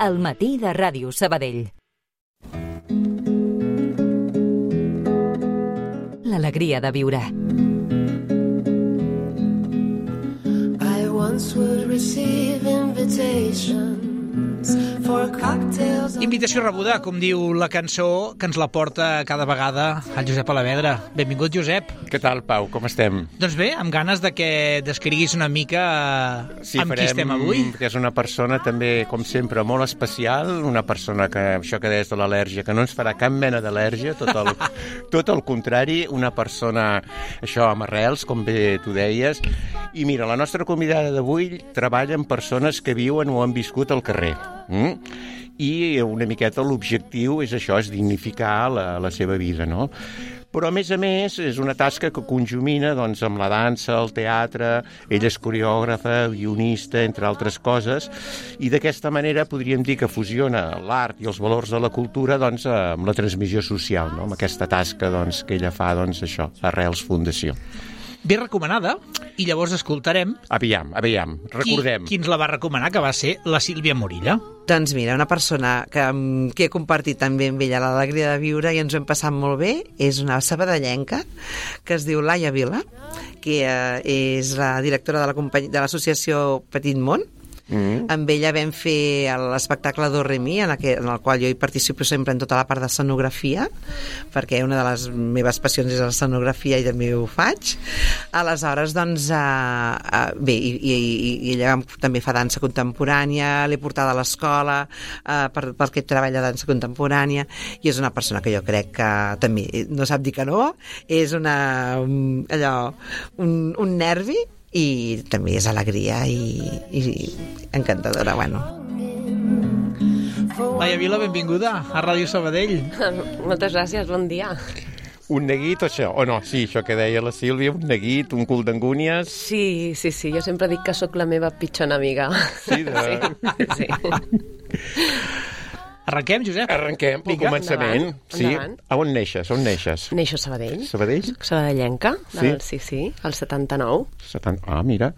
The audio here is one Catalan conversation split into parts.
al matí de Ràdio Sabadell. L'alegria de viure. I once would receive invitations for cocktails. Invitació rebuda, com diu la cançó, que ens la porta cada vegada el Josep Alavedra. Benvingut, Josep. Què tal, Pau? Com estem? Doncs bé, amb ganes de que descriguis una mica amb qui estem avui. Que és una persona també, com sempre, molt especial, una persona que, això que deies de l'al·lèrgia, que no ens farà cap mena d'al·lèrgia, tot el contrari, una persona, això, amb arrels, com bé tu deies. I mira, la nostra convidada d'avui treballa amb persones que viuen o han viscut al carrer. I una miqueta l'objectiu és això, és dignificar la seva vida, no? Però, a més, és una tasca que conjumina doncs, amb la dansa, el teatre, ella és coreògrafa, guionista, entre altres coses, i d'aquesta manera podríem dir que fusiona l'art i els valors de la cultura doncs, amb la transmissió social, no? Amb aquesta tasca doncs, que ella fa, doncs, això, Arrels Fundació. Ben recomanada, i llavors escoltarem... Aviam, recordem. Qui ens la va recomanar, que va ser la Sílvia Morilla. Doncs mira, una persona que he compartit també amb ella l'alegria de viure i ens ho hem passat molt bé, és una sabadellenca que es diu Laia Vila, que és la directora de l'associació Petit Món. Amb ella vam fer l'espectacle Do Re Mi, en el qual jo hi participo sempre en tota la part d'escenografia, perquè una de les meves passions és l'escenografia i també ho faig. Aleshores, doncs, bé, i ella també fa dansa contemporània, l'he portada a l'escola perquè treballa dansa contemporània, i és una persona que jo crec que també no sap dir que no, és un nervi, i també és alegria i encantadora, bueno. Laia Vila, benvinguda a Ràdio Sabadell. Moltes gràcies, bon dia. Un neguit, això? O no? Sí, això que deia la Sílvia, un neguit, un cul d'angúnies... Sí, jo sempre dic que sóc la meva pitjor enemiga. Sí, sí. Arrenquem, Josep? Arrenquem pel començament. Endavant. A on neixes? Neixo a Sabadell. Sabadell? Sabadellenca, sí, al 79. Ah, mira.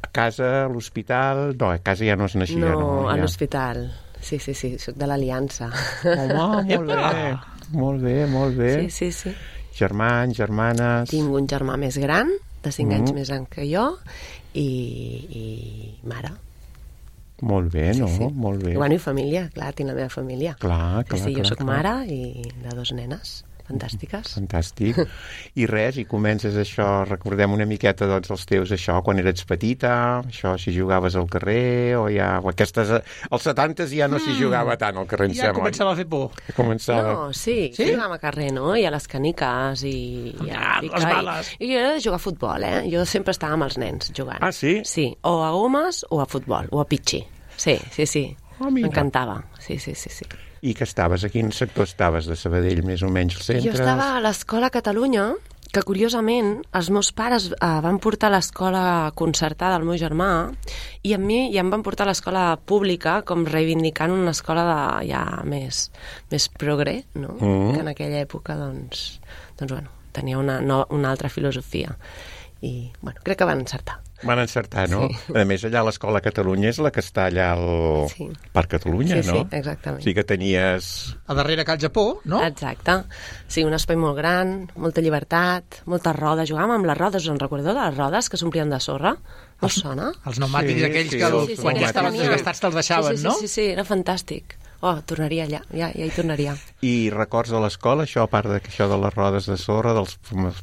A casa, a l'hospital... No, a casa ja no es naixia, no? No, a l'hospital. Sí, soc de l'Aliança. Home, molt bé. Sí. Germans, germanes... Tinc un germà més gran, de 5 anys més gran que jo, i mare. Molt bé, no? Sí. Molt bé. I bueno, i família, clar, tinc la meva família. Clar. Sí, jo soc mare i de 2 nenes fantàstiques. Fantàstic. I res, i comences això, recordem una miqueta doncs els teus, això, quan eres petita, això, si jugaves al carrer, o ja... Aquestes, als 70s ja no s'hi jugava tant al carrer, em ja sembla. començava a fer por. No, sí? Jugàvem a carrer, no? I a les caniques, i... les bales. I jo era de jugar a futbol, Jo sempre estava amb els nens jugant. Ah, sí? Sí, o a gomes o a futbol, o a pitxi. Sí. M'encantava. Sí. I que estaves? A quin sector estaves de Sabadell, més o menys, al centre? Jo estava a l'Escola Catalunya, que curiosament els meus pares van portar a l'escola concertada al meu germà, i a mi ja em van portar a l'escola pública, com reivindicant una escola ja més progre, no? Que en aquella època, doncs bueno, tenia una altra filosofia. I, bueno, crec que van encertar. Van encertar, no? Sí. A més, allà a l'Escola Catalunya és la que està allà al Parc Catalunya, no? Sí, exactament. Sí que tenies... A darrere Cal Japó, no? Exacte. Sí, un espai molt gran, molta llibertat, moltes rodes. Jugàvem amb les rodes, us en recordeu de les rodes que s'omplien de sorra? No us sona? Els pneumàtics aquells que quan ja estaven desgastats te'ls deixaven, no? Sí, era fantàstic. Tornaria allà, ja hi tornaria. I records de l'escola, això, a part d'això de les rodes de sorra, dels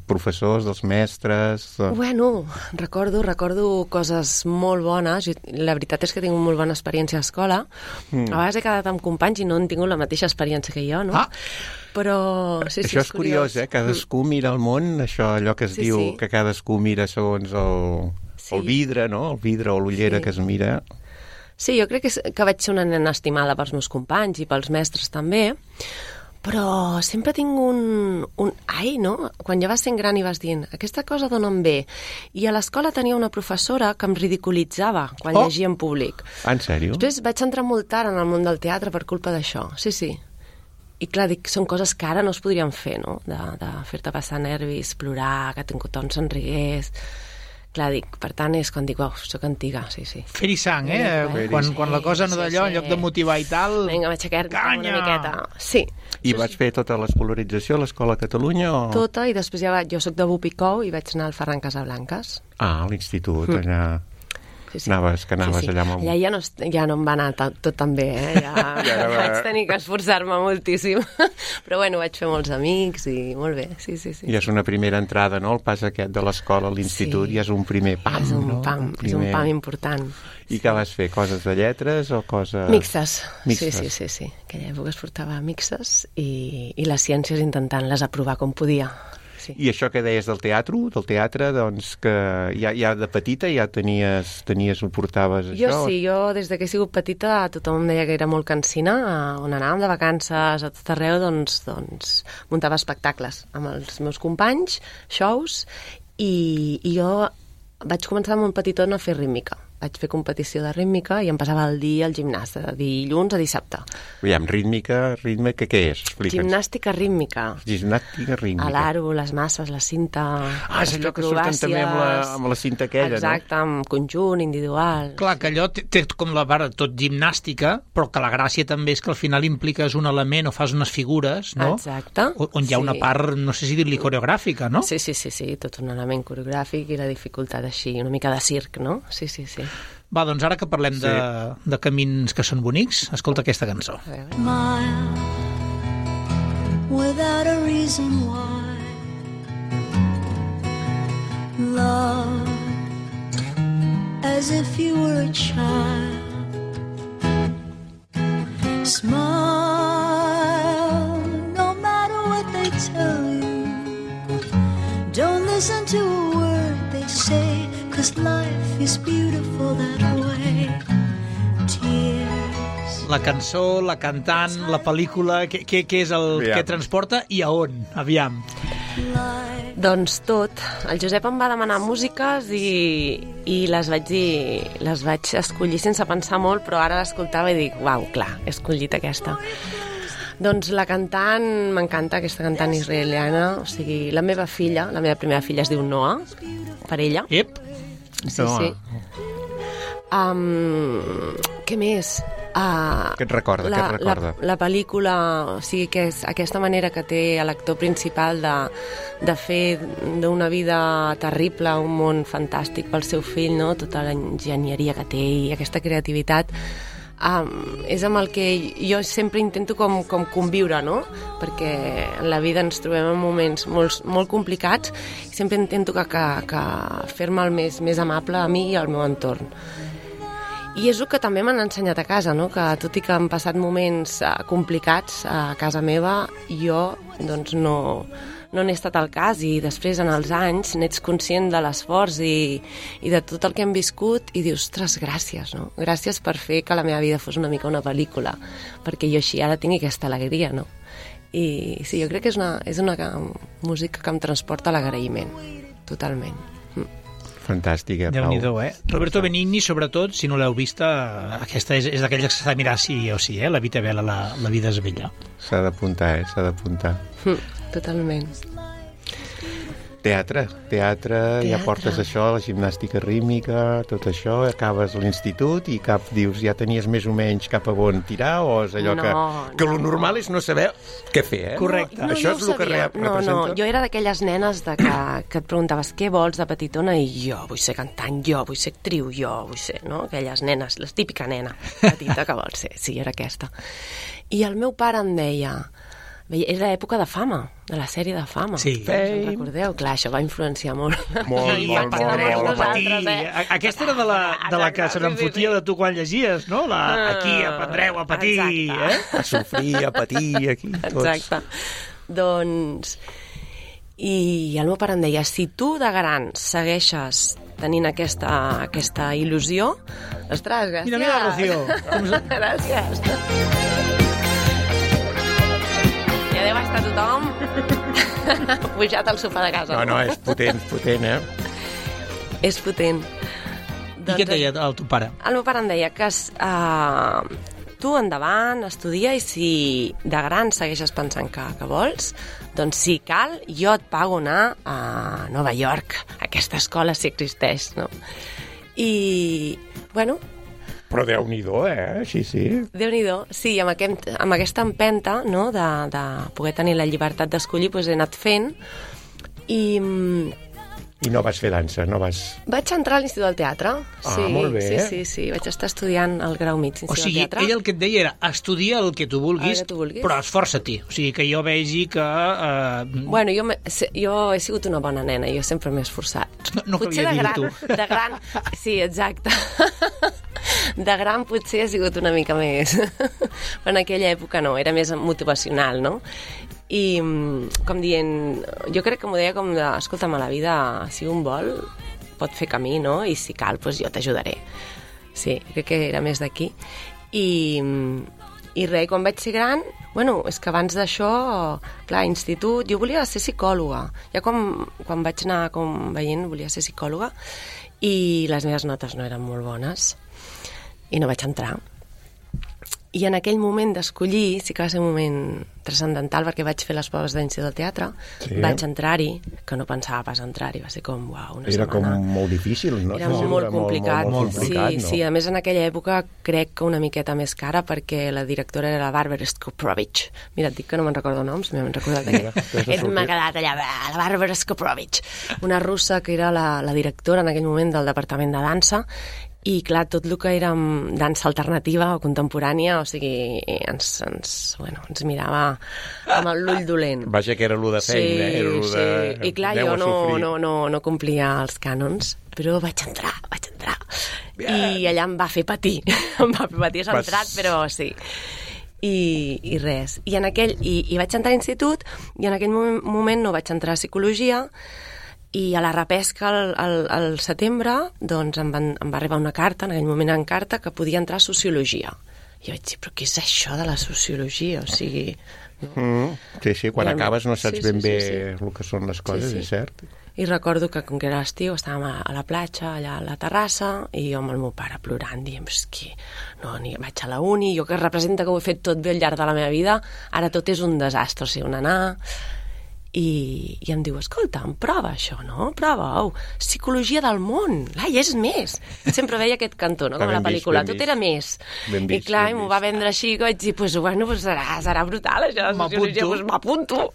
professors, dels mestres... Bueno, recordo coses molt bones. La veritat és que tinc molt bona experiència a l'escola. A vegades he quedat amb companys i no han tingut la mateixa experiència que jo, no? Però sí, això és curiós, Cadascú mira el món, això, allò que es diu que cadascú mira segons el vidre, no? El vidre o l'ullera que es mira... Sí, jo crec que vaig ser una nena estimada pels meus companys i pels mestres també, però sempre tinc no? Quan ja vas sent gran i vas dient, aquesta cosa d'on em ve. I a l'escola tenia una professora que em ridiculitzava quan llegia en públic. En sèrio? Després vaig entrar molt tard en el món del teatre per culpa d'això, sí. I clar, dic, són coses que ara no es podrien fer, no? De fer-te passar nervis, plorar, que tothom se'n rigués... Clar, dic, per tant, és quan dic, uau, soc antiga, sí. Fer-hi sang, Sí. Quan la cosa no d'allò, en lloc de motivar i tal... Vinga, m'aixecar-me una Canya! miqueta. Sí. I vas fer tota l'escolarització a l'Escola Catalunya o...? Tota, i després jo soc de Bupicou i vaig anar al Ferran Casablanques. Ah, a l'institut, allà... Sí. Anaves allà amb... Allà ja no em va anar tot tan bé, ja vaig tenir que esforçar-me moltíssim. Però bueno, vaig fer molts amics i molt bé, sí. I és una primera entrada, no?, el pas aquest de l'escola a l'institut, i és un primer pam, és un no? pam, és un pam important. I què vas fer? Coses de lletres o coses... Mixtes. Mixtes. Sí. Aquella època es portava mixtes i les ciències intentant-les aprovar com podia. Sí. I això que deies del teatre, doncs que ja de petita ja ho portaves, això? Jo des de que he sigut petita tothom em deia que era molt cansina, on anàvem de vacances a tot arreu, doncs muntava espectacles amb els meus companys, shows, i jo vaig començar molt petitona a fer rítmica. Vaig fer competició de rítmica i em passava el dia al gimnàs, de dilluns a dissabte. Aviam, rítmica, què és? Explica'ns. Gimnàstica rítmica. Gimnàstica rítmica. A l'aro, les masses, la cinta... És allò que surten també amb la cinta aquella, exacte, no? amb conjunt, individual. Clar, que allò té com la part tot gimnàstica, però que la gràcia també és que al final impliques un element o fas unes figures, no? Exacte. On hi ha una part, no sé si dir-li coreogràfica, no? Sí, tot un element coreogràfic i la dificultat així, una mica de circ, no? Sí. Va, doncs ara que parlem de camins que són bonics, escolta aquesta cançó. Smile without a reason why. Love as if you were a child. Smile no matter what they tell you. Don't listen to a word they say, 'cause life is beautiful that way. Tears. La cançó, la cantant, la pel·lícula, què és el que transporta i a on? Aviam. Doncs tot. El Josep em va demanar músiques i les vaig escollir sense pensar molt, però ara l'escoltava i dic, uau, clar, he escollit aquesta. Doncs la cantant, m'encanta aquesta cantant israeliana, o sigui, la meva primera filla es diu Noah, per ella. Ep. Sí. Què més? Què et recorda? La pel·lícula, o sigui, que és aquesta manera que té l'actor principal de fer d'una vida terrible un món fantàstic pel seu fill, no? Tota l'enginyeria que té i aquesta creativitat. És amb el que jo sempre intento com conviure, no? Perquè en la vida ens trobem en moments molt complicats i sempre intento que fer-me el més amable a mi i al meu entorn. I és el que també m'han ensenyat a casa, no? Que tot i que han passat moments complicats a casa meva, jo doncs no n'he estat al cas, i després en els anys n'ets conscient de l'esforç i de tot el que hem viscut i dius, ostres, gràcies, no? Gràcies per fer que la meva vida fos una mica una pel·lícula, perquè jo així ara tinc aquesta alegria, no? I sí, jo crec que és una música que em transporta l'agraïment, totalment. Fantàstica, Pau. Déu-n'hi-do, Roberto Benigni, sobretot, si no l'heu vista, aquesta és d'aquelles que s'ha de mirar sí o sí, la vida bella, la vida és bella. S'ha d'apuntar, s'ha d'apuntar. Totalment. Teatre, ja portes això, la gimnàstica rítmica, tot això, acabes l'institut i dius, ja tenies més o menys cap a on tirar, o és allò que lo normal és no saber què fer, Correcte. Això és el que representa? No, jo era d'aquelles nenes que et preguntaves què vols de petitona i jo vull ser cantant, jo vull ser actriu, jo vull ser, no? Aquelles nenes, la típica nena petita que vol ser, sí, era aquesta. I el meu pare em deia... Era l'època de Fama, de la sèrie de Fama. Sí. Recordeu? Clar, això va influenciar molt. Molt. Aquesta era de la que se n'enfotia de tu quan llegies, no? Aquí aprendreu a patir, A sofrir, a patir, aquí, tots. Exacte. Doncs... I el meu pare em deia, si tu de gran segueixes tenint aquesta il·lusió, ostres, gràcies. Mira, Rocío. Gràcies. Ja deu estar tothom pujat al sofà de casa. No, és potent, És potent. I què et deia el teu pare? El meu pare em deia que tu endavant, estudia, i si de gran segueixes pensant que vols, doncs si cal, jo et pago anar a Nova York. Aquesta escola sí existeix, no? I, bueno... Però Déu-n'hi-do, Així sí. Déu-n'hi-do, sí, amb aquesta empenta, no?, de poder tenir la llibertat d'escollir, doncs he anat fent, I no vas fer dansa, no vas... Vaig entrar a l'Institut del Teatre. Sí, molt bé. Sí. Vaig estar estudiant el grau mig d'Institut del Teatre. O sigui, ell el que et deia era estudia el que tu vulguis, però esforça-t'hi. O sigui, que jo vegi que... Bueno, jo he sigut una bona nena, jo sempre m'he esforçat. No calia dir-t'ho. De gran... Sí, exacte. De gran potser ha sigut una mica més. Però en aquella època no, era més motivacional, no? I com dient, jo crec que m'ho deia com de, escolta'm, a la vida, si un vol, pot fer camí, no? I si cal, doncs jo t'ajudaré. Sí, crec que era més d'aquí. I res, quan vaig ser gran, bueno, és que abans d'això, clar, institut, jo volia ser psicòloga. Ja quan vaig anar veient, volia ser psicòloga, i les meves notes no eren molt bones, i no vaig entrar. I en aquell moment d'escollir, sí que va ser un moment transcendental, perquè vaig fer les proves d'Institut del Teatre, vaig entrar-hi, que no pensava pas entrar-hi, va ser com, uau, una setmana. Era com molt difícil, no? Era molt complicat. Molt complicat, sí, a més en aquella època crec que una miqueta més cara, perquè la directora era la Barbara Skoprovich. Mira, et dic que no me'n recordo noms, m'he recordat m'ha quedat allà, la Barbara Skoprovich, una russa que era la directora en aquell moment del departament de dansa. I, clar, tot el que era dansa alternativa o contemporània, o sigui, ens mirava amb l'ull dolent. Vaja, que era l'u de feina, era l'u de... I, clar, jo no complia els cànons, però vaig entrar. I allà em va fer patir. Em va fer patir, s'ha entrat, però sí. I res. I vaig entrar a l'institut, i en aquell moment no vaig entrar a psicologia, i a la repesca al setembre doncs em va arribar una carta, en aquell moment en carta, que podia entrar a sociologia. I jo vaig dir, però què és això de la sociologia? O sigui... No? Sí, quan acabes no saps ben bé el que són les coses, és cert. I recordo que, com que era l'estiu, estàvem a la platja, allà a la terrassa, i jo amb el meu pare plorant, dient, és que no, vaig a la uni, jo que representa que ho he fet tot bé al llarg de la meva vida, ara tot és un desastre, o sigui, on anar... I em diu, escolta, prova això, no? Prova, psicologia del món, és més. Sempre veia aquest cantó, no? Com a la pel·lícula, tot era més. I clar, m'ho va vendre així, que vaig dir, serà brutal, això, la sociologia, doncs m'apunto.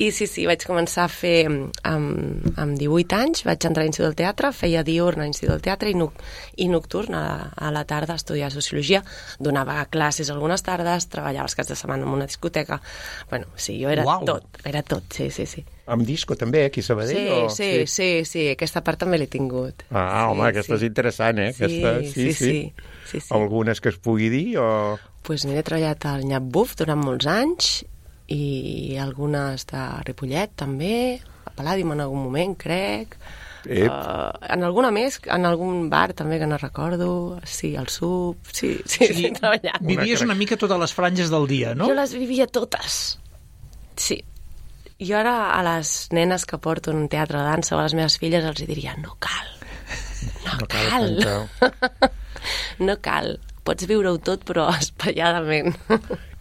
I sí, vaig començar a fer, amb 18 anys, vaig entrar a l'Institut del Teatre, feia diürn a l'Institut del Teatre i nocturn a la tarda a estudiar sociologia, donava classes algunes tardes, treballava els caps de setmana en una discoteca. Bueno, sí, jo era tot, sí. Amb disco també, aquí a Sabadell? Sí, aquesta part també l'he tingut. Home, aquesta és interessant, Sí. Algunes que es pugui dir, o...? Doncs mira, he treballat al Nyap Buf durant molts anys, i algunes de Ripollet també, a Palladium en algun moment, crec. En alguna més, en algun bar també que no recordo, sí, al SUB, sí, he treballat. Vivies una mica totes les franges del dia, no? Jo les vivia totes, sí. Jo ara a les nenes que porto en un teatre de dansa o a les meves filles els diria, no cal. No cal. Pots viure-ho tot, però espaiadament.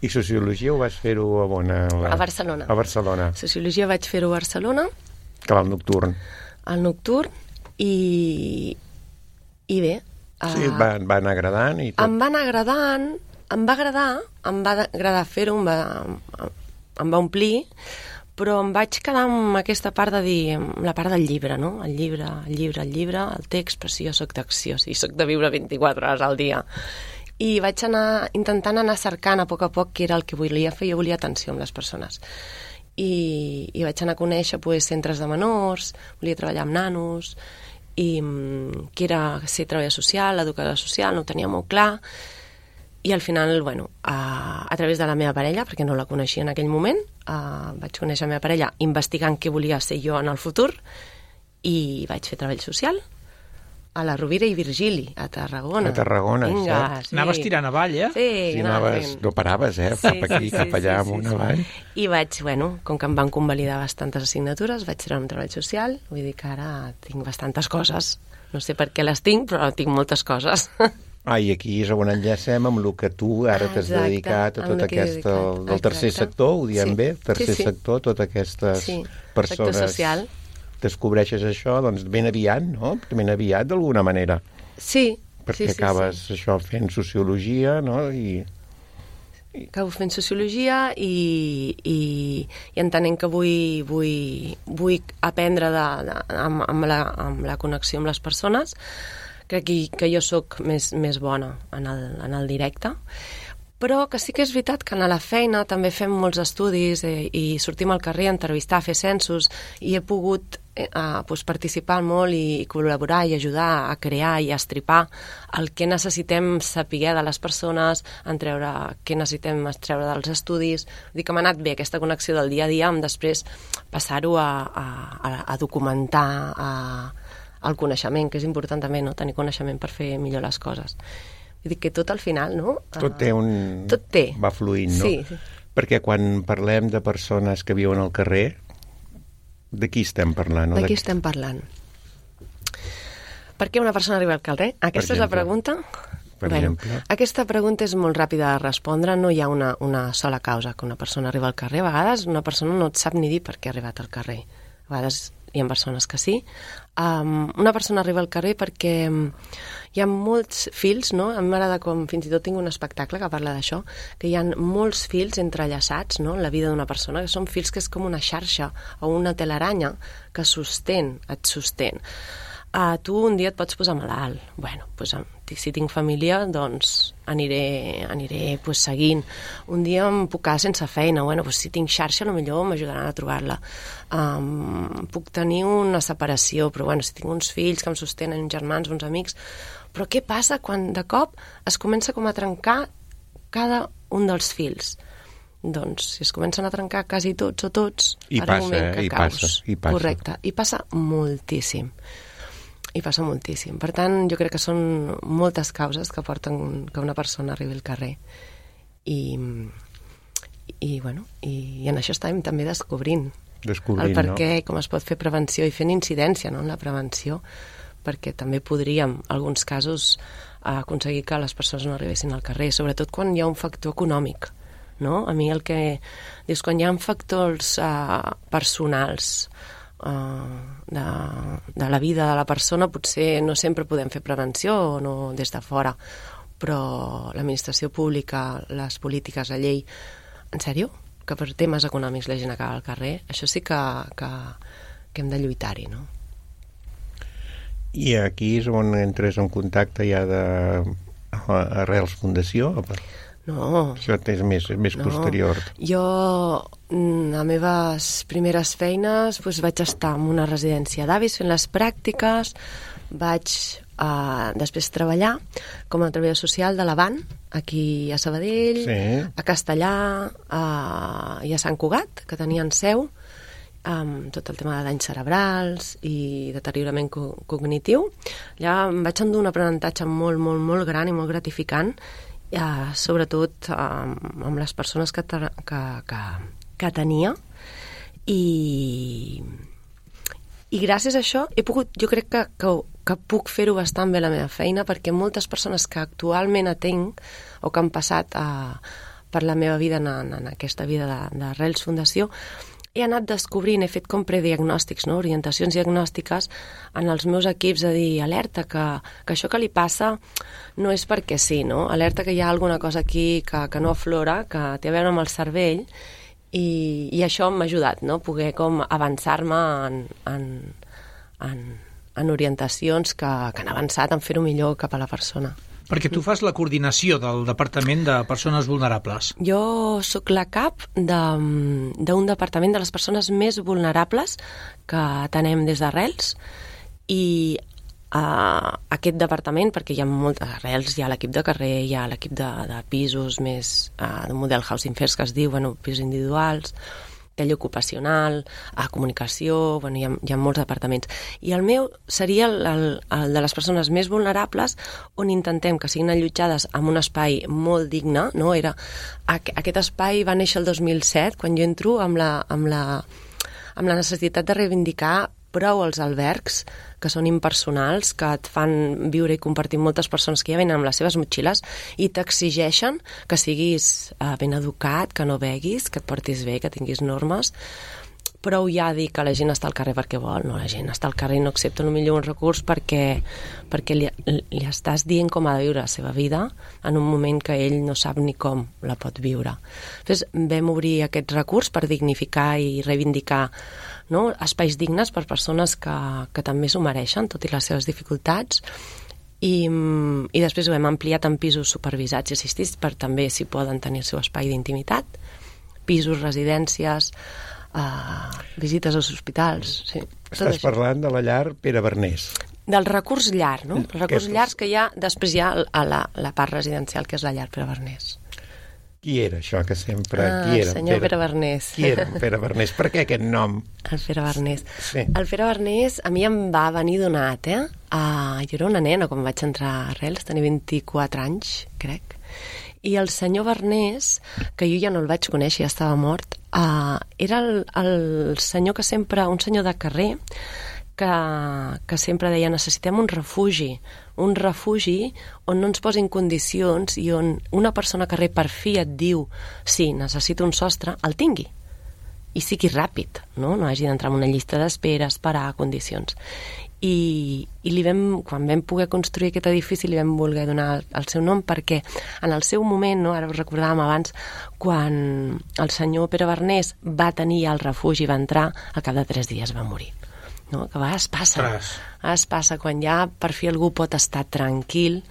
I sociologia ho vas fer-ho a on? A Barcelona. A Barcelona. Sociologia vaig fer-ho a Barcelona. Que va al nocturn. Al nocturn, i bé. Sí, et va anar agradant i tot. Em va anar agradant, em va agradar fer-ho, em va omplir, però em vaig quedar amb aquesta part de dir, la part del llibre, no? El llibre, el text, però si jo soc d'acció, si soc de viure 24 hores al dia. I vaig anar intentant anar cercant a poc què era el que volia fer. Jo volia atenció amb les persones. I vaig anar a conèixer centres de menors, volia treballar amb nanos, i que era ser treballador social, educador social, no ho tenia molt clar. I al final, a través de la meva parella, perquè no la coneixia en aquell moment, vaig conèixer la meva parella investigant què volia ser jo en el futur, i vaig fer treball social a la Rovira i Virgili, a Tarragona. A Tarragona, cert. Sí. Anaves tirant avall, Sí, no paraves, cap aquí, cap allà, amunt avall. I vaig, com que em van convalidar bastantes assignatures, vaig treure un treball social, vull dir que ara tinc bastantes coses. No sé per què les tinc, però tinc moltes coses. I aquí és on enllacem amb el que tu ara t'has dedicat a tot aquest, del tercer sector, ho diem bé, tercer sector, totes aquestes persones. Sector social. Descobreixes això, doncs ben aviat, no? Ben aviat, d'alguna manera. Sí. Perquè acabes això fent sociologia, no? Acabo fent sociologia i entenent que vull aprendre amb la connexió amb les persones. Crec que jo sóc més bona en el directe, però que sí que és veritat que a la feina també fem molts estudis i sortim al carrer a entrevistar, a fer censos, i he pogut participar molt i col·laborar i ajudar a crear i a estripar el que necessitem saber de les persones, què necessitem extreure dels estudis. Vull dir que m'ha anat bé aquesta connexió del dia a dia amb després passar-ho a documentar, el coneixement, que és important també, no? Tenir coneixement per fer millor les coses. Vull dir que tot al final, no? Tot té. Va fluint, no? Sí. Perquè quan parlem de persones que viuen al carrer, de qui estem parlant? De qui estem parlant? Per què una persona arriba al carrer? Aquesta és la pregunta? Per exemple. Aquesta pregunta és molt ràpida de respondre. No hi ha una sola causa que una persona arriba al carrer. A vegades una persona no et sap ni dir per què ha arribat al carrer. A vegades hi ha persones que sí. Una persona arriba al carrer perquè hi ha molts fils, no? A mi m'agrada com, fins i tot tinc un espectacle que parla d'això, que hi ha molts fils entrellaçats, no?, en la vida d'una persona, que són fils que és com una xarxa o una telaranya que et sostén. Tu un dia et pots posar malalt. Bueno, doncs, si tinc família, doncs aniré seguint. Un dia em puc quedar sense feina. Bueno, doncs si tinc xarxa, potser m'ajudaran a trobar-la. Puc tenir una separació, però bueno, si tinc uns fills que em sostenen, uns germans, uns amics... Però què passa quan de cop es comença com a trencar cada un dels fils? Doncs si es comencen a trencar quasi tots o tots, ara un moment que caus. Correcte, i passa moltíssim. Per tant, jo crec que són moltes causes que porten que una persona arribi al carrer. I en això estàvem també descobrint el per què, com es pot fer prevenció i fent incidència, no?, en la prevenció, perquè també podríem, en alguns casos, aconseguir que les persones no arribessin al carrer, sobretot quan hi ha un factor econòmic, no? A mi el que dius, quan hi ha factors personals de la vida de la persona, potser no sempre podem fer prevenció o no des de fora, però l'administració pública, les polítiques, la llei, en sèrio? Que per temes econòmics la gent acaba al carrer? Això sí que hem de lluitar-hi, no? I aquí és on entres en contacte ja Arrels Fundació? No. Això és més posterior. Jo, a meves primeres feines, vaig estar en una residència d'avis fent les pràctiques, vaig després treballar com a treballador social de l'Avant, aquí a Sabadell, a Castellà i a Sant Cugat, que tenien seu, amb tot el tema de danys cerebrals i deteriorament cognitiu. Allà em vaig endur un aprenentatge molt, molt, molt gran i molt gratificant, sobretot amb les persones que tenia, i gràcies a això he pogut, jo crec que puc fer-ho bastant bé la meva feina, perquè moltes persones que actualment atenc o que han passat per la meva vida en aquesta vida d'Arrels Fundació, he anat descobrint, he fet com prediagnòstics, no?, orientacions diagnòstiques en els meus equips, a dir, alerta, que això que li passa no és perquè sí, no? Alerta que hi ha alguna cosa aquí que no aflora, que té a veure amb el cervell, i això m'ha ajudat, no?, poder com avançar-me en orientacions que han avançat en fer-ho millor cap a la persona. Perquè tu fas la coordinació del Departament de Persones Vulnerables. Jo sóc la cap d'un departament de les persones més vulnerables que tenem des d'Arrels, i aquest departament, perquè hi ha moltes Arrels, hi ha l'equip de carrer, hi ha l'equip de pisos més d'un model housing first que es diu, pisos individuals, talla ocupacional, comunicació, hi ha molts departaments. I el meu seria el de les persones més vulnerables, on intentem que siguin allotjades en un espai molt digne, no? Aquest espai va néixer el 2007, quan jo entro amb la necessitat de reivindicar prou els albergs, que són impersonals, que et fan viure i compartir amb moltes persones que ja venen amb les seves motxilles i t'exigeixen que siguis ben educat, que no beguis, que et portis bé, que tinguis normes. Prou ja dir que la gent està al carrer perquè vol, no, la gent està al carrer i no accepta millor un recurs perquè li estàs dient com ha de viure la seva vida en un moment que ell no sap ni com la pot viure. Després vam obrir aquest recurs per dignificar i reivindicar, no, espais dignes per persones que també s'ho mereixen, tot i les seves dificultats, i després ho hem ampliat en pisos supervisats i assistits per també, si poden, tenir el seu espai d'intimitat, pisos, residències, visites als hospitals, sí. Estàs parlant de la llar Pere Bernés. Del recurs llar, no? El recurs llars que hi ha, després hi ha la part residencial, que és la llar Pere Bernés. Qui era això que sempre... Qui era? Senyor Pere Bernés. Qui era Pere Bernés? Per què aquest nom? El Pere Bernés. Sí. El Pere Bernés a mi em va venir donat, jo era una nena quan vaig entrar a Arrels, tenia 24 anys, crec. I el senyor Bernés, que jo ja no el vaig conèixer, ja estava mort, era el senyor que sempre, un senyor de carrer, que sempre deia necessitem un refugi on no ens posin condicions i on una persona que carrer per fi et diu sí, necessito un sostre, el tingui i sigui ràpid, no hagi d'entrar en una llista d'espera, esperar condicions. I quan vam poder construir aquest edifici li vam voler donar el seu nom perquè en el seu moment, ara ho recordàvem abans, quan el senyor Pere Bernés va tenir el refugi, va entrar, al cap de 3 dies va morir. No? Que a vegades passa quan ja per fi algú pot estar tranquil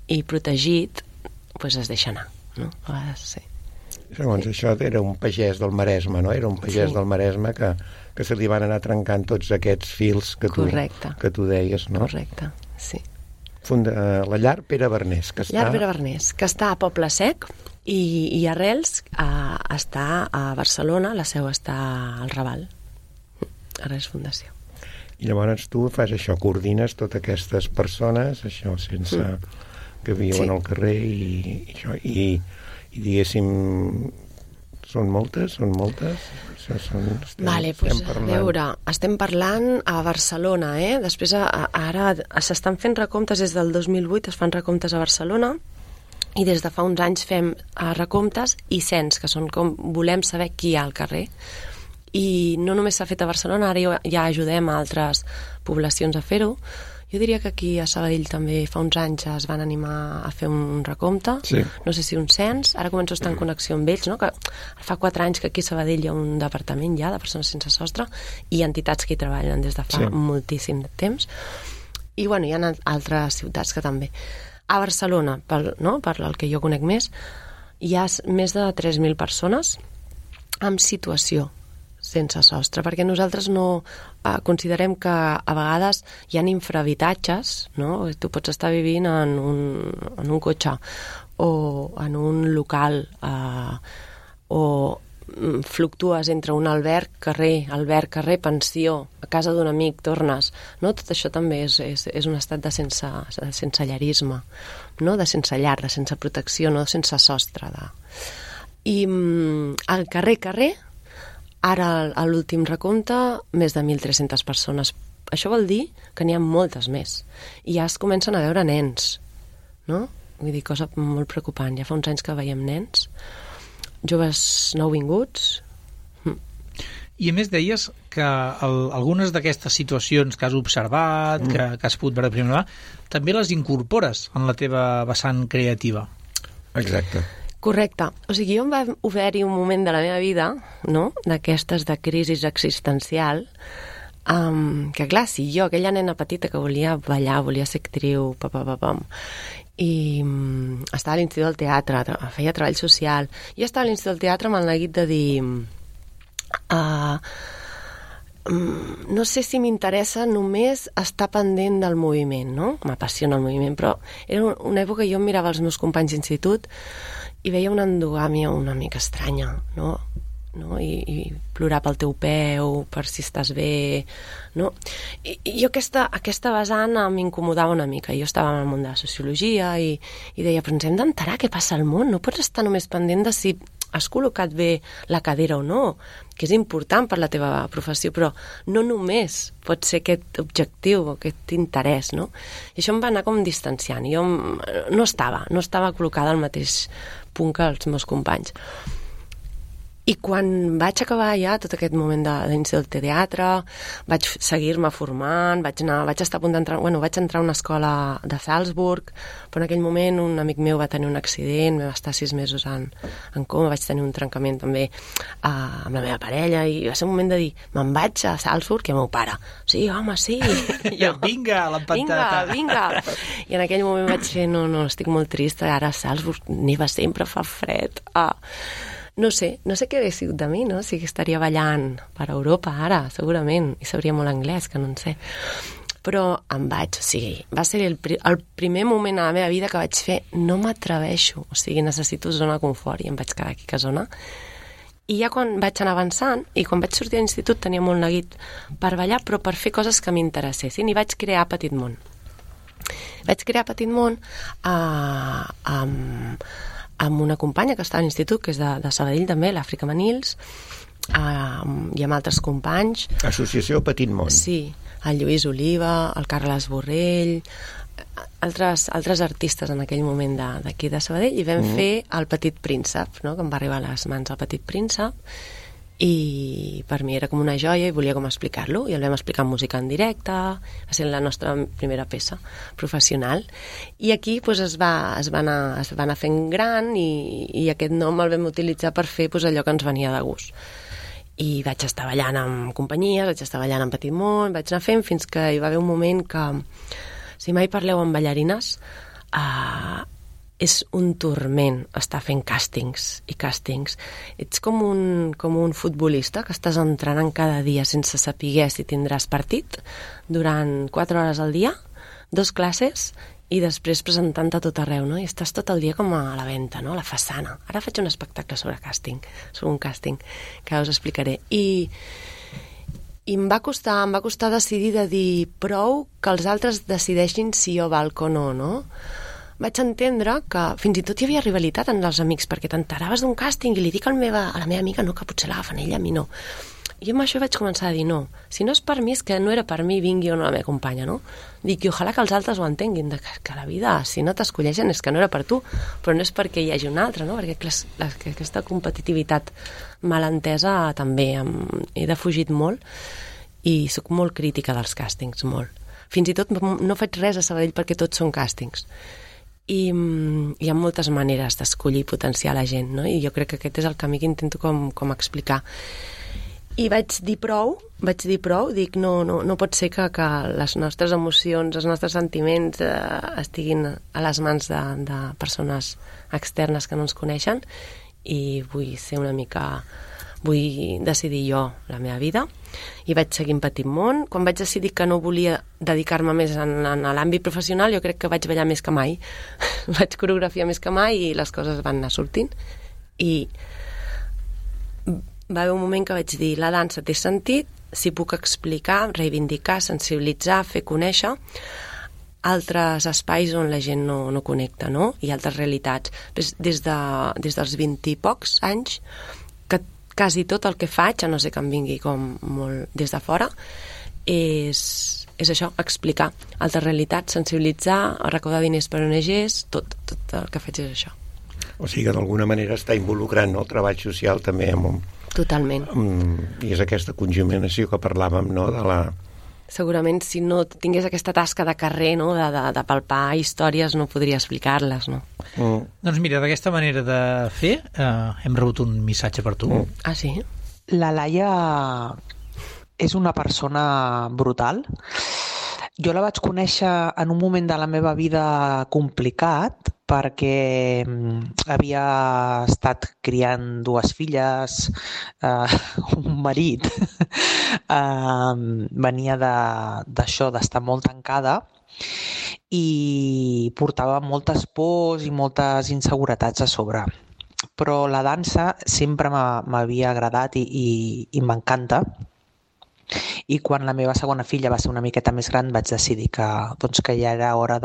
i protegit, doncs es deixa anar, no? A vegades sí. Segons això era un pagès del Maresme, no? Era un pagès del Maresme que se li van anar trencant tots aquests fils que tu deies, no? Correcte, sí. Funda la llar Pere Bernés, que està... Llar Pere Bernés, que està a Poble Sec i Arrels està a Barcelona, la seu està al Raval. Arrels Fundació. I llavors tu fas això, coordines totes aquestes persones, això sense que viuen al carrer i diguéssim, són moltes? Vale, doncs a veure, estem parlant a Barcelona, després ara s'estan fent recomptes des del 2008, es fan recomptes a Barcelona i des de fa uns anys fem recomptes i cens, que són com volem saber qui hi ha al carrer. I no només s'ha fet a Barcelona, ara ja ajudem a altres poblacions a fer-ho. Jo diria que aquí a Sabadell també fa uns anys es van animar a fer un recompte, sí. No sé si un cens, ara començo a estar en connexió amb ells, no? Que fa 4 anys que aquí a Sabadell hi ha un departament ja de persones sense sostre i entitats que hi treballen des de fa moltíssim temps. I bueno, hi ha altres ciutats que també. A Barcelona, per el que jo conec més, hi ha més de 3.000 persones en situació sense sostre, perquè nosaltres no considerem que a vegades hi ha infrahabitatges, no? Tu pots estar vivint en un cotxe o en un local o fluctues entre un alberg, carrer, pensió, a casa d'un amic, tornes, no? Tot això també és un estat de sensellarisme, no? De sense llar, de sense protecció, no? Sense sostre. I al carrer, ara, a l'últim recompte, més de 1.300 persones. Això vol dir que n'hi ha moltes més. I ja es comencen a veure nens, no? Vull dir, cosa molt preocupant. Ja fa uns anys que veiem nens, joves nouvinguts. I a més deies que algunes d'aquestes situacions que has observat, que has pogut veure de primera mà, també les incorpores en la teva vessant creativa. Exacte. Correcte. O sigui, jo em va haver-hi un moment de la meva vida, no?, d'aquestes de crisi existencial, que clar, si jo, aquella nena petita que volia ballar, volia ser actriu, i estava a l'Institut del Teatre, feia treball social, jo estava a l'Institut del Teatre amb el neguit de dir no sé si m'interessa només estar pendent del moviment, no? M'apassiona el moviment, però era una època que jo mirava els meus companys d'institut i veia una endogàmia una mica estranya, no? I plorar pel teu peu, per si estàs bé, no? I jo aquesta vessant m'incomodava una mica. Jo estava en el món de la sociologia i deia, però ens hem d'enterar què passa al món, no pots estar només pendent de si has col·locat bé la cadira o no, que és important per la teva professió, però no només pot ser aquest objectiu o aquest interès, no? I això em va anar com distanciant. Jo no estava col·locada al mateix punt que els meus companys. I quan vaig acabar ja tot aquest moment d'inici del teatre, vaig seguir-me formant, vaig estar a punt d'entrar, vaig entrar a una escola de Salzburg, però en aquell moment un amic meu va tenir un accident, vam estar 6 mesos en coma, vaig tenir un trencament també amb la meva parella, i va ser un moment de dir, me'n vaig a Salzburg i el meu pare, sí, home, sí. Jo, vinga, l'empantata. Vinga. I en aquell moment vaig fer, no, estic molt trista, ara a Salzburg neva sempre, fa fred. No sé què hauria sigut de mi, no? Sí que estaria ballant per Europa ara, segurament, i sabria molt anglès, que no en sé. Però em vaig, o sigui, va ser el primer moment a la meva vida que vaig fer, no m'atreveixo, o sigui, necessito zona de confort, i em vaig quedar aquí a zona. I ja quan vaig anar avançant, i quan vaig sortir a l'institut tenia molt neguit per ballar, però per fer coses que m'interessessin, i vaig crear Petit Món. Vaig crear Petit Món amb una companya que està a l'institut, que és de Sabadell també, l'Àfrica Manils, i amb altres companys. Associació Petit Món. Sí, el Lluís Oliva, el Carles Borrell, altres artistes en aquell moment d'aquí de Sabadell, i vam fer el Petit Príncep, no? Que em va arribar a les mans el Petit Príncep, i per mi era com una joia i volia com explicar-lo, i el vam explicar en música en directe, va ser la nostra primera peça professional, i aquí pues, es va anar fent gran, i aquest nom el vam utilitzar per fer pues, allò que ens venia de gust. I vaig estar ballant amb companyies, vaig estar ballant en Petit Món, vaig anar fent fins que hi va haver un moment que, si mai parleu amb ballarines, és un turment estar fent càstings i càstings. Ets com un futbolista que estàs entrenant cada dia sense saber si tindràs partit durant 4 hores al dia, 2 classes, i després presentant-te a tot arreu, no? I estàs tot el dia com a la venta, no? A la façana. Ara faig un espectacle sobre un càsting, que us explicaré. I em va costar decidir de dir prou que els altres decideixin si jo valc o no? Vaig entendre que fins i tot hi havia rivalitat entre els amics, perquè t'enteraves d'un càsting i li dic a la meva amiga no, que potser l'agafen ella, a mi no. I amb això vaig començar a dir no. Si no és per mi, és que no era per mi, vingui o no la meva companya, no? Dic, i ojalà que els altres ho entenguin, que la vida, si no t'escolleixen, és que no era per tu, però no és perquè hi hagi un altre, no? Perquè aquesta competitivitat malentesa també he defugit molt, i sóc molt crítica dels càstings, molt. Fins i tot no faig res a Sabadell perquè tots són càstings. I hi ha moltes maneres d'escollir i potenciar la gent, no? I jo crec que aquest és el camí que intento com explicar. I vaig dir prou, dic no pot ser que les nostres emocions, els nostres sentiments estiguin a les mans de persones externes que no ens coneixen, i vull decidir jo la meva vida, i vaig seguir en Petit Món. Quan vaig decidir que no volia dedicar-me més a l'àmbit professional, jo crec que vaig ballar més que mai, vaig coreografiar més que mai, i les coses van anar sortint, i va haver un moment que vaig dir, la dansa té sentit si puc explicar, reivindicar, sensibilitzar, fer conèixer altres espais on la gent no connecta, no? I altres realitats. Des dels 20 i pocs anys, que quasi tot el que faig, a no ser que em vingui com molt des de fora, és això, explicar altres realitats, sensibilitzar, recaudar diners per ONGs, tot el que faig és això. O sigui que d'alguna manera està involucrant el treball social també Totalment. I és aquesta conjuminació que parlàvem, no?, de la... Segurament, si no tingués aquesta tasca de carrer, no?, de palpar històries, no podria explicar-les, no? Doncs mira, d'aquesta manera de fer hem rebut un missatge per tu. Ah, sí? La Laia és una persona brutal. Jo la vaig conèixer en un moment de la meva vida complicat, perquè havia estat criant 2 filles, un marit, venia d'això, d'estar molt tancada, i portava moltes pors i moltes inseguretats a sobre. Però la dansa sempre m'havia agradat i m'encanta. I quan la meva segona filla va ser una miqueta més gran vaig decidir que ja era hora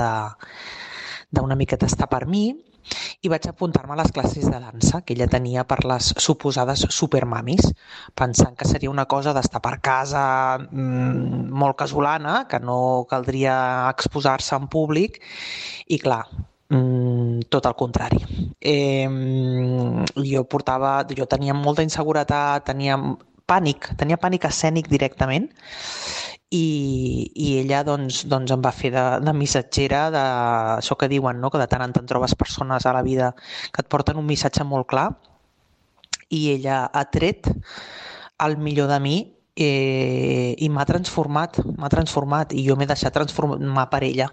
d'una miqueta estar per mi, i vaig apuntar-me a les classes de dansa que ella tenia per les suposades supermamis, pensant que seria una cosa d'estar per casa molt casolana, que no caldria exposar-se en públic, i clar, tot el contrari. Jo tenia molta inseguretat, tenia pànic escènic directament, i ella doncs em va fer de missatgera d'això que diuen, no? Que de tant en tant trobes persones a la vida que et porten un missatge molt clar, i ella ha tret el millor de mi i m'ha transformat, i jo m'he deixat transformar per ella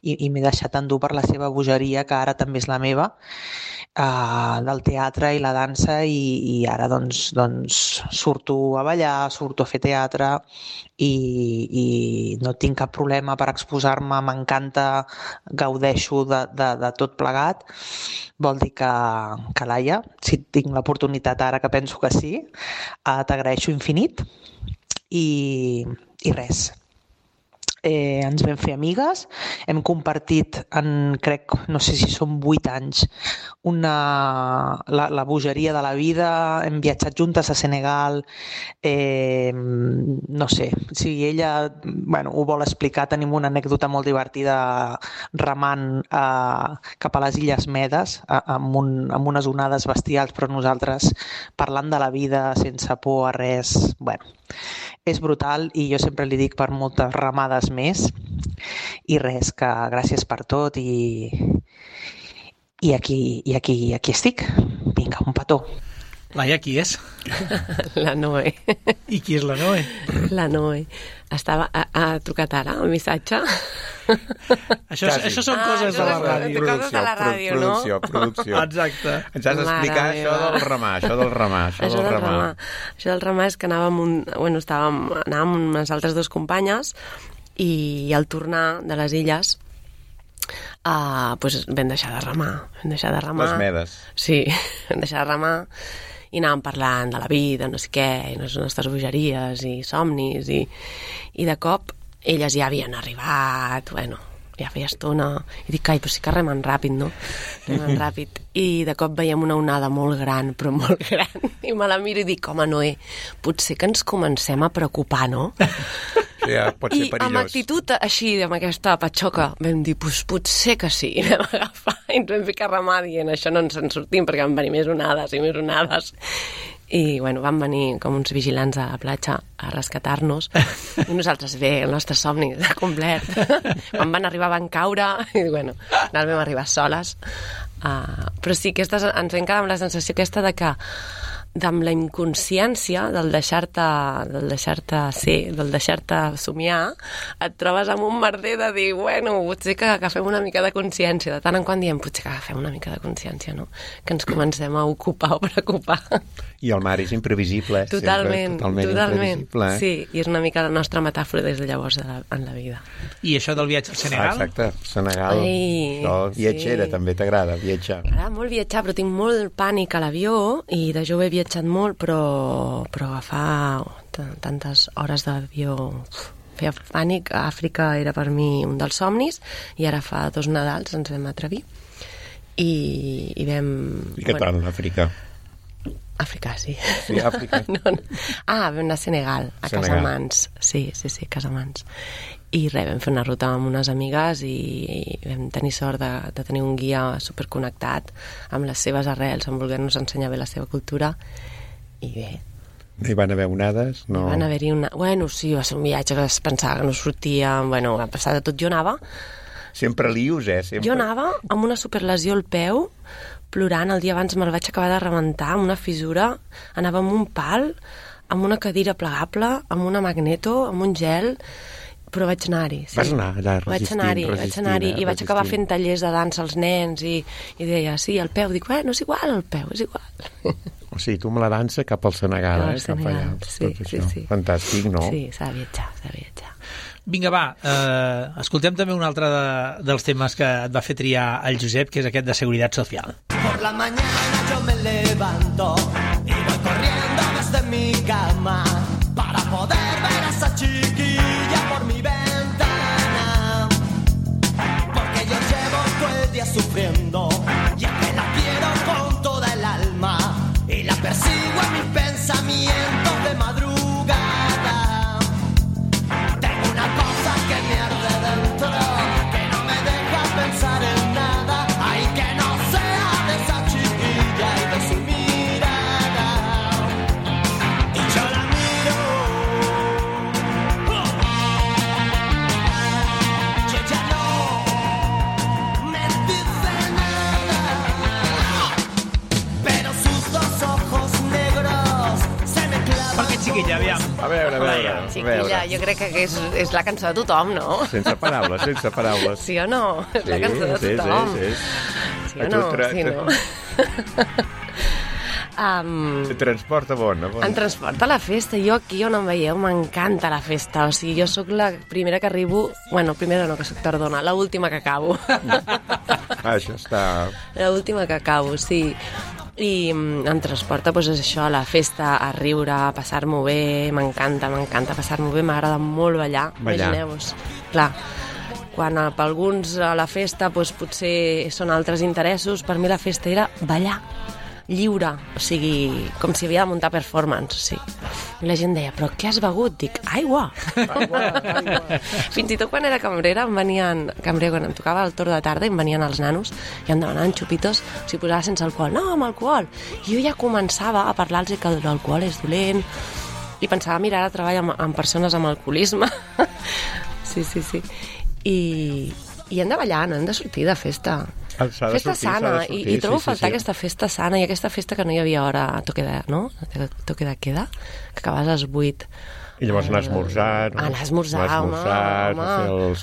i m'he deixat endur per la seva bogeria, que ara també és la meva, del teatre i la dansa, i ara doncs surto a ballar, surto a fer teatre, i no tinc cap problema per exposar-me, m'encanta, gaudeixo de tot plegat. Vol dir que Laia, si tinc l'oportunitat ara, que penso que sí, t'agraeixo infinit, i res. Ens vam fer amigues, hem compartit crec, no sé si són 8 anys, la bogeria de la vida, hem viatjat juntes a Senegal, no sé, si ella ho vol explicar, tenim una anècdota molt divertida remant cap a les Illes Medes, amb unes onades bestials, però nosaltres parlant de la vida sense por a res. És brutal, i jo sempre li dic per moltes ramades més, i res, que gràcies per tot, i aquí estic. Vinga, un petó. Laia, qui és? La Noe. I qui és la Noe? La Noe. Ha trucat ara el missatge? Això són coses de la ràdio. Coses de la ràdio, no? Producció. Exacte. Ens has d'explicar això del remar. Això del remar és que anàvem amb unes altres dues companyes, i al tornar de les illes vam deixar de remar. Les Medes. Sí, vam deixar de remar, i anàvem parlant de la vida, no sé què, i les nostres bogeries i somnis, i de cop elles ja havien arribat, ja feia estona, i dic, però sí que remen ràpid, no? Remen ràpid. I de cop veiem una onada molt gran, però molt gran, i me la miro i dic, home, Noé, potser que ens comencem a preocupar, no? Ja, pot ser perillós. I amb actitud així, amb aquesta patxoca, vam dir, potser que sí, i vam agafar i ens vam ficar a remar dient, això no ens en sortim, perquè van venir més onades i més onades. I van venir com uns vigilants a la platja a rescatar-nos, i nosaltres bé, el nostre somni complet. Quan van arribar van caure, i no vam arribar soles. Però sí, ens vam quedar amb la sensació aquesta de que amb la inconsciència del deixar-te ser, del deixar-te somiar, et trobes amb un merder de dir, potser que agafem una mica de consciència. De tant en quant diem, potser que agafem una mica de consciència, no? Que ens comencem a ocupar o preocupar. I el mar és imprevisible, Totalment. Imprevisible. Sí, i és una mica la nostra metàfora des de llavors en la vida. I això del viatge al Senegal? Exacte, Senegal. Viatgera, també t'agrada viatjar? M'agrada molt viatjar, però tinc molt pànic a l'avió, i de jove he viatjat molt, però agafar tantes hores d'avió feia pànic. Àfrica era per mi un dels somnis, i ara fa 2 Nadals ens vam atrevir i vam... I què tal, l'Àfrica? Àfrica, sí. Sí, Àfrica. Vam anar a Senegal, a Casamance. Sí, Casamance. I vam fer una ruta amb unes amigues, i vam tenir sort de tenir un guia superconnectat amb les seves arrels, amb voler-nos ensenyar bé la seva cultura, i bé. No hi van haver onades? No. Hi van haver-hi sí, va ser un viatge que es pensava que no sortia, a passar de tot. Jo anava... Sempre lius, Sempre. Jo anava amb una superlesió al peu, plorant. El dia abans me'l vaig acabar de rebentar, amb una fissura. Anava amb un pal, amb una cadira plegable, amb una magneto, amb un gel, però vaig anar-hi. Sí. Vas anar allà resistint, vaig anar-hi, i vaig acabar fent tallers de dansa als nens, i deia, sí, el peu. Dic, és igual, el peu, és igual. O sigui, tu amb la dansa cap al Senegal, cap allà. Sí. Fantàstic, no? Sí, s'ha de viatjar. Vinga, va, escoltem també un altre dels temes que et va fer triar el Josep, que és aquest de Seguridad Social. Por la mañana yo me levanto y voy corriendo desde mi cama para poder ver a esa chiquilla por mi ventana, porque yo llevo todo el día sufriendo y Chiquilla, aviam. A veure. Chiquilla, jo crec que és la cançó de tothom, no? Sense paraules. Sí o no? És la cançó de tothom. Sí o no? Sí, no? Et transporta bon. Em transporta a la festa. Jo aquí on em veieu m'encanta la festa. O sigui, jo sóc la primera que arribo... Bueno, primera no, que sóc tardona. L'última que acabo. Això està... L'última que acabo, sí. I em transporta, doncs, això, a la festa, a riure, a passar-m'ho bé. M'encanta passar-m'ho bé. M'agrada molt ballar. Imagineu-vos. Clar, quan per alguns a la festa doncs, potser són altres interessos, per mi la festa era ballar. Lliure, o sigui, com si havia de muntar performance, sí. I la gent deia, però què has begut? Dic, aigua. Fins i tot quan era cambrera, quan em tocava el torn de tarda, em venien els nanos i em demanaven xupitos, o sigui, posava sense alcohol. No, amb alcohol. I jo ja començava a parlar-los que l'alcohol és dolent i pensava, mira, ara treballo amb persones amb alcoholisme. Sí. I hem de ballar, no hem de sortir de festa. Festa sana, i trobo faltar aquesta festa sana i aquesta festa que no hi havia hora a toque de queda, que acabes a les 8. I llavors anar a esmorzar, no? Anar a esmorzar, home.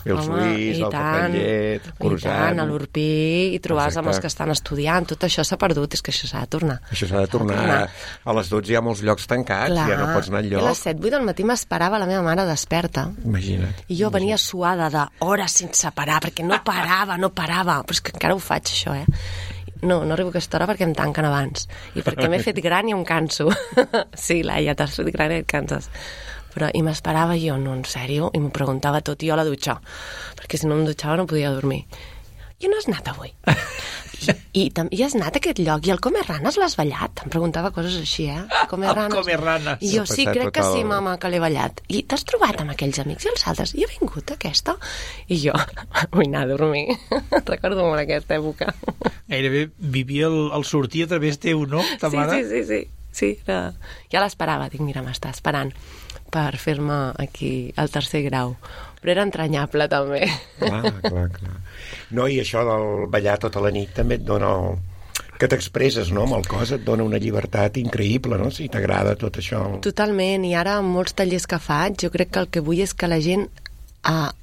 Fer els suís, el cafè amb llet, croissant. A l'Urpí, i trobar-se amb els que estan estudiant. Tot això s'ha perdut, és que això s'ha de tornar. Això s'ha de tornar. A les 12 hi ha molts llocs tancats, ja no pots anar enlloc. A les 7-8 del matí m'esperava la meva mare desperta. Imagina't. I jo venia suada d'hores sense parar, perquè no parava. Però és que encara ho faig, això, No arribo a aquesta hora perquè em tanquen abans. I perquè m'he fet gran i em canso. Sí, Laia, t'has fet gran i et canses. I m'esperava jo, no, en sèrio, i m'ho preguntava tot, i jo a la dutxa, perquè si no em dutxava no podia dormir. I on has anat avui? I has anat a aquest lloc, i el Come Ranes l'has ballat? Em preguntava coses així, Come Ranes. I jo, sí, crec que sí, mama, que l'he ballat. I t'has trobat amb aquells amics i els altres? I ha vingut aquesta? I jo, vull anar a dormir. Recordo molt aquesta època. Gairebé vivia el sortir a través teu, no? Ta mare? Sí, ja l'esperava, dic, mira, m'està esperant per fer-me aquí el tercer grau. Però era entranyable, també. Clar. No, i això del ballar tota la nit també et dona... que t'expresses, no?, amb el cos, et dona una llibertat increïble, no?, si t'agrada tot això. Totalment, i ara amb molts tallers que faig, jo crec que el que vull és que la gent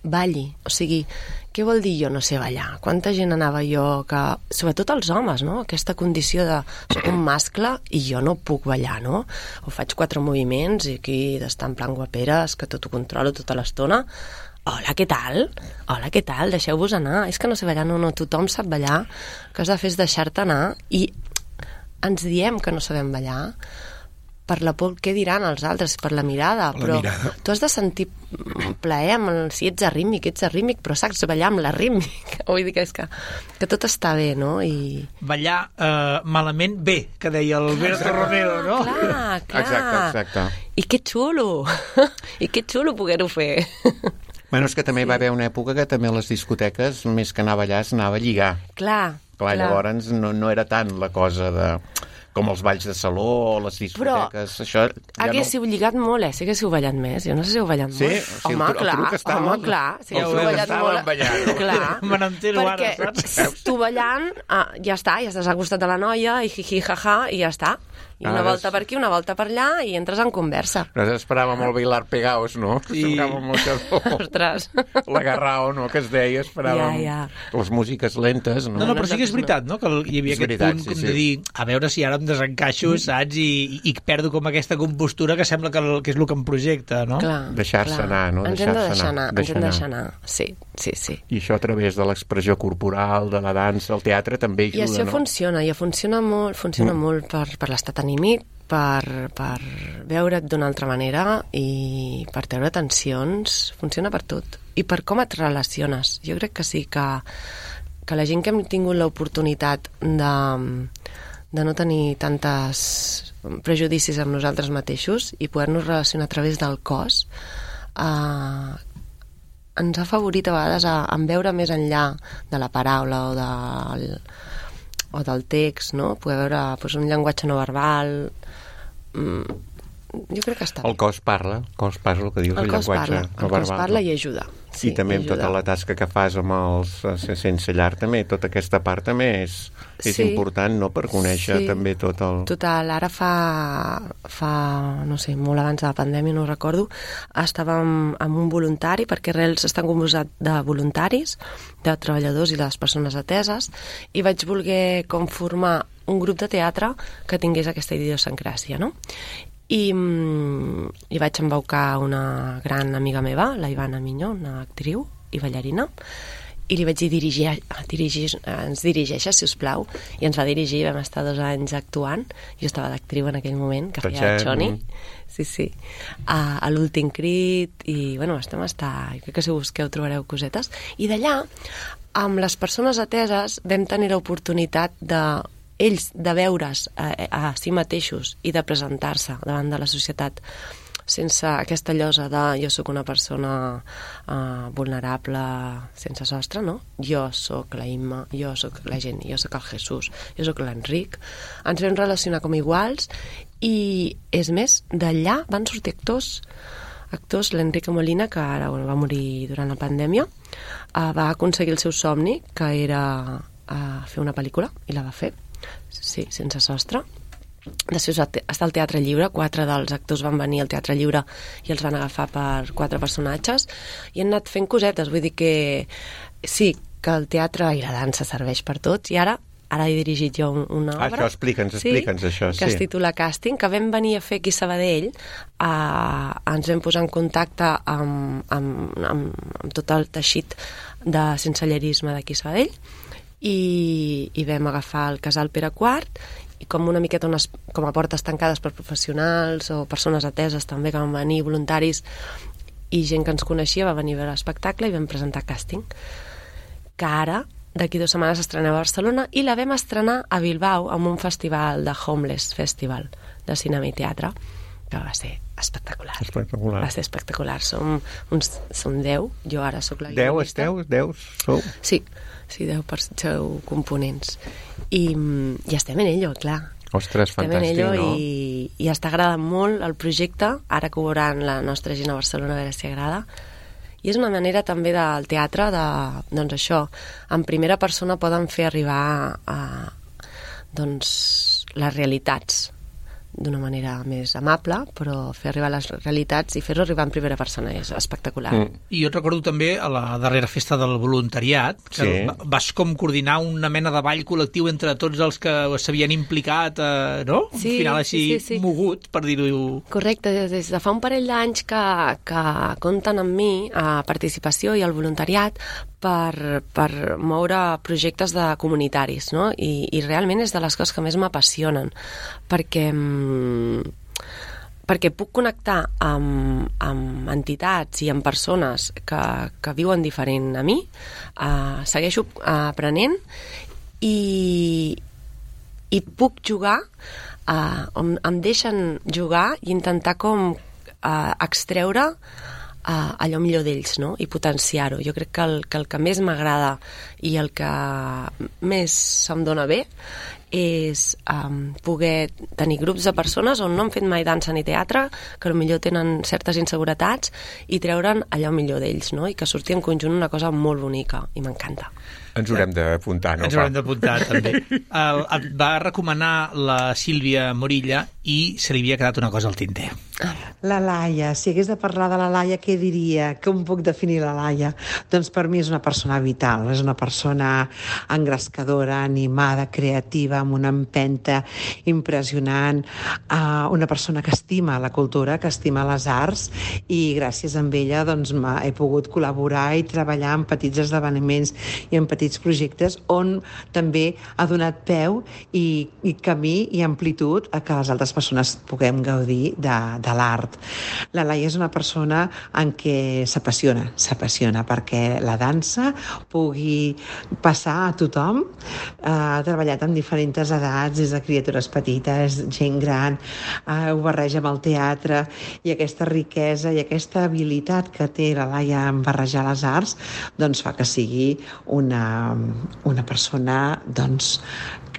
balli, o sigui, què vol dir jo no sé ballar? Quanta gent anava jo que... Sobretot els homes, no? Aquesta condició de... Soc un mascle i jo no puc ballar, no? O faig 4 moviments i aquí d'estar en plan guaperes, que tot ho controlo tota l'estona. Hola, què tal? Deixeu-vos anar. És que no sé ballar, no, tothom sap ballar. El que has de fer és deixar-te anar i ens diem que no sabem ballar per la por què diran els altres, per la mirada, tu has de sentir plaer si ets arrítmic, però saps ballar amb la rítmica. Vull dir que és que tot està bé, no? Ballar malament bé, que deia Alberto Romero, no? Clar. Exacte. I que xulo poder-ho fer. Bueno, és que també va haver una època que també a les discoteques, més que anar a ballar, s'anava a lligar. Clar. Llavors no era tant la cosa de... com els balls de saló o les discoteques. Però això haguéssiu lligat molt, sí que haguéssiu ballat més. Jo no sé si heu ballat molt. Sí, home, clar. Sí que heu ballat molt. Clar, me n'entero ara, saps? Tu ballant, ja està, ja estàs al costat de la noia, i jiji, jaja, i ja està. I una volta per aquí, una volta per allà, i entres en conversa. Nosaltres esperàvem el bailar pegaos, no? Esperàvem molt Ostres. L'agarrao, no?, que es deia, esperàvem les músiques lentes, no? No, però sí que és veritat, no?, que hi havia aquest punt com de dir, a veure si ara em desencaixo, saps, i perdo com aquesta compostura que sembla que és el que em projecta, no? Deixar-se anar, no? Ens hem de deixar anar, sí. I això a través de l'expressió corporal, de la dansa, el teatre també ajuda, no? I això funciona molt per l'estat anímic, per veure't d'una altra manera i per treure tensions, funciona per tot. I per com et relaciones. Jo crec que sí, que la gent que hem tingut l'oportunitat de no tenir tantes prejudicis amb nosaltres mateixos i poder-nos relacionar a través del cos, ens ha afavorit a vegades en veure més enllà de la paraula o del text, no? Poder veure un llenguatge no verbal. Jo crec que està bé. El cos parla, el que dius, el llenguatge no verbal. El cos parla i ajuda. I també amb tota la tasca que fas amb els sense llar també, tota aquesta part també és important, no?, per conèixer també tot el... Total, ara fa, no sé, molt abans de la pandèmia, no ho recordo, estàvem amb un voluntari, perquè Arrels estan composat de voluntaris, de treballadors i de les persones ateses, i vaig voler formar un grup de teatre que tingués aquesta idiosincràsia, no? I vaig embaucar una gran amiga meva, la Ivana Minyó, una actriu i ballarina, i li vaig dir ens dirigeixes, si us plau, i ens va dirigir, vam estar 2 anys actuant, jo estava d'actriu en aquell moment, que feia Choni, a l'Últim Crit, i bueno, jo crec que si busqueu trobareu cosetes, i d'allà, amb les persones ateses, vam tenir l'oportunitat de veure's a si mateixos i de presentar-se davant de la societat sense aquesta llosa de jo sóc una persona vulnerable sense sostre, no? Jo sóc la Imma, jo sóc la Jenny, jo sóc el Jesús, jo sóc l'Enric. Ens vam relacionar com iguals i, és més, d'allà van sortir actors, l'Enrique Molina, que ara va morir durant la pandèmia, va aconseguir el seu somni, que era fer una pel·lícula, i la va fer. Sí, sense sostre. Després va estar al Teatre Lliure, 4 dels actors van venir al Teatre Lliure i els van agafar per 4 personatges i han anat fent cosetes, vull dir que sí, que el teatre i la dansa serveix per tots, i ara he dirigit jo una obra. Això, explica'ns això, que es titula Càsting, que vam venir a fer aquí a Sabadell, ens vam posar en contacte amb tot el teixit de sensellerisme d'aquí a Sabadell, i vam agafar el casal Pere IV i com una miqueta com a portes tancades per professionals o persones ateses també que van venir, voluntaris i gent que ens coneixia va venir a veure l'espectacle i vam presentar Càsting, que ara d'aquí 2 setmanes s'estrenava a Barcelona i la vam estrenar a Bilbao amb un festival de Homeless Festival de cinema i teatre, que va ser espectacular. Va ser espectacular. Som 10, jo ara sóc la guionista. 10 sou? Sí, 10 components. I estem en ello, clar. Ostres, fantàstic, no? I està agradant molt el projecte, ara que ho veuran la nostra gent a Barcelona, a veure si agrada. I és una manera també del teatre doncs això, en primera persona poden fer arribar les realitats d'una manera més amable, però fer arribar les realitats i fer-ho arribar en primera persona és espectacular. I jo et recordo també a la darrera festa del voluntariat que vas com coordinar una mena de ball col·lectiu entre tots els que s'havien implicat, no? Sí, un final així mogut, per dir-ho... Correcte, des de fa un parell d'anys que compten amb mi a participació i al voluntariat per moure projectes de comunitaris, no? I realment és de les coses que més m'apassionen, perquè puc connectar amb entitats i amb persones que viuen diferent a mi, segueixo aprenent i puc jugar, em deixen jugar i intentar com extreure allò millor d'ells, no? I potenciar-ho. Jo crec que el que més m'agrada i el que més se'm dona bé és poder tenir grups de persones on no han fet mai dansa ni teatre, que potser tenen certes inseguretats i treure'n allò millor d'ells, no? I que surti en conjunt una cosa molt bonica, i m'encanta. Ens haurem d'apuntar, no? Ens haurem d'apuntar, també. Et va recomanar la Sílvia Morilla i se li havia quedat una cosa al tinter. La Laia, si hagués de parlar de la Laia, què diria? Com puc definir la Laia? Doncs per mi és una persona vital, és una persona engrescadora, animada, creativa, amb una empenta impressionant, una persona que estima la cultura, que estima les arts, i gràcies a ella doncs, he pogut col·laborar i treballar en petits esdeveniments i en petits projectes on també ha donat peu i camí i amplitud a que les altres persones puguem gaudir de l'art. La Laia és una persona en què s'apassiona perquè la dansa pugui passar a tothom. Ha treballat amb diferents edats, des de criatures petites, gent gran, ho barreja amb el teatre, i aquesta riquesa i aquesta habilitat que té la Laia en barrejar les arts doncs fa que sigui una persona doncs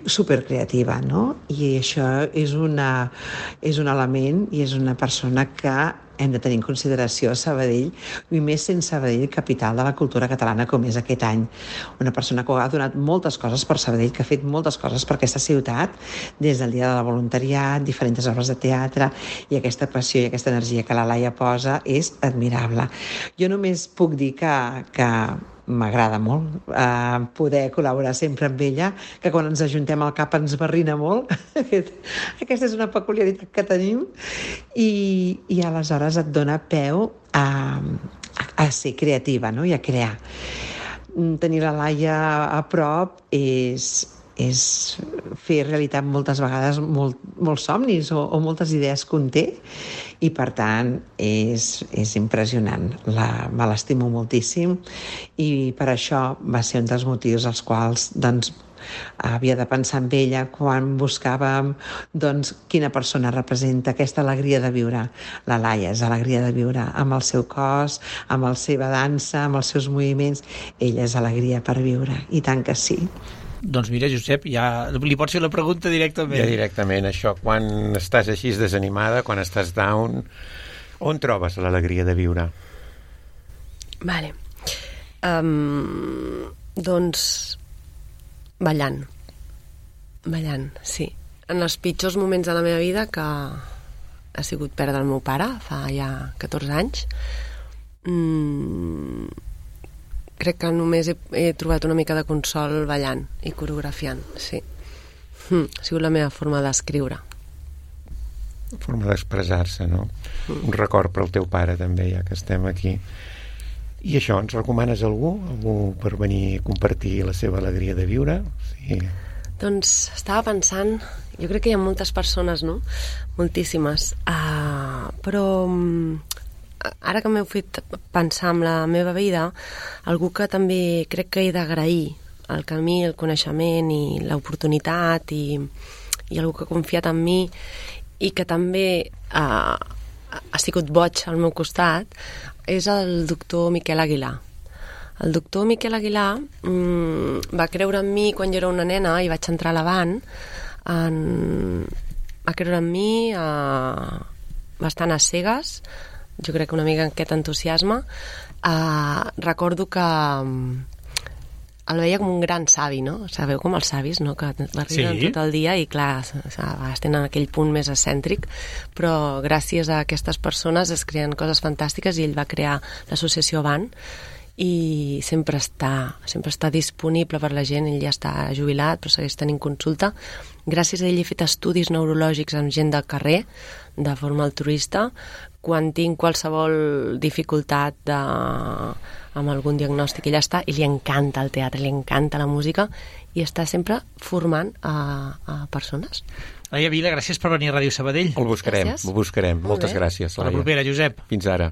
supercreativa, no? I això és un element i és una persona que hem de tenir en consideració Sabadell, i més sent Sabadell capital de la cultura catalana com és aquest any. Una persona que ha donat moltes coses per Sabadell, que ha fet moltes coses per aquesta ciutat, des del dia de la voluntariat, diferents obres de teatre, i aquesta passió i aquesta energia que la Laia posa és admirable. Jo només puc dir que m'agrada molt poder col·laborar sempre amb ella, que quan ens ajuntem al cap ens barrina molt. Aquesta és una peculiaritat que tenim i aleshores et dona peu a ser creativa, no? I a crear. Tenir la Laia a prop és fer realitat moltes vegades molts somnis o moltes idees que un té, i per tant és impressionant. Me l'estimo moltíssim i per això va ser un dels motius als quals havia de pensar en ella quan buscàvem quina persona representa aquesta alegria de viure. La Laia és alegria de viure amb el seu cos, amb la seva dansa, amb els seus moviments. Ella és alegria per viure, i tant que sí. Doncs mira, Josep, ja li pots fer la pregunta directament. Ja directament, això. Quan estàs així desanimada, quan estàs down, on trobes l'alegria de viure? Vale. Doncs ballant, sí. En els pitjors moments de la meva vida, que ha sigut perdre el meu pare fa ja 14 anys, crec que només he trobat una mica de consol ballant i coreografiant, sí. Ha sigut la meva forma d'escriure. Forma d'expressar-se, no? Un record per al teu pare, també, ja que estem aquí. I això, ens recomanes algú per venir a compartir la seva alegria de viure? Sí. Doncs estava pensant, jo crec que hi ha moltes persones, no? Moltíssimes. Però ara que m'heu fet pensar en la meva vida, algú que també crec que he d'agrair el camí, el coneixement i l'oportunitat i algú que ha confiat en mi i que també ha sigut boig al meu costat, és el doctor Miquel Aguilar. El doctor Miquel Aguilar va creure en mi quan jo era una nena i vaig entrar a l'Avant. Va creure en mi bastant a cegues, jo crec que una mica aquest entusiasme. Recordo que el veia com un gran savi, no? Sabeu com els savis, no? Que arriben tot el dia i, clar, a vegades tenen aquell punt més excèntric, però gràcies a aquestes persones es creen coses fantàstiques i ell va crear l'associació Avant i sempre està disponible per la gent. Ell ja està jubilat, però segueix tenint consulta. Gràcies a ell he fet estudis neurològics amb gent del carrer, de forma altruista. Quan tinc qualsevol dificultat amb algun diagnòstic, ell està, i li encanta el teatre, li encanta la música, i està sempre formant a persones. Laia Vila, gràcies per venir a Ràdio Sabadell. El buscarem. Moltes gràcies, Laia. A la propera, Josep. Fins ara.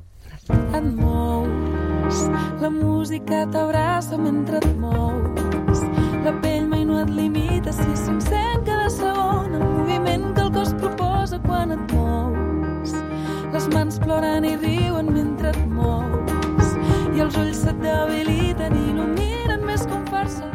Et mous, la música t'abraça mentre et mous, la pell mai no et limita si s'encén cada segon, el moviment que el cos proposa quan et mous, les mans ploren i riuen mentre et mous i els ulls se't debiliten i il·luminen més com farsa.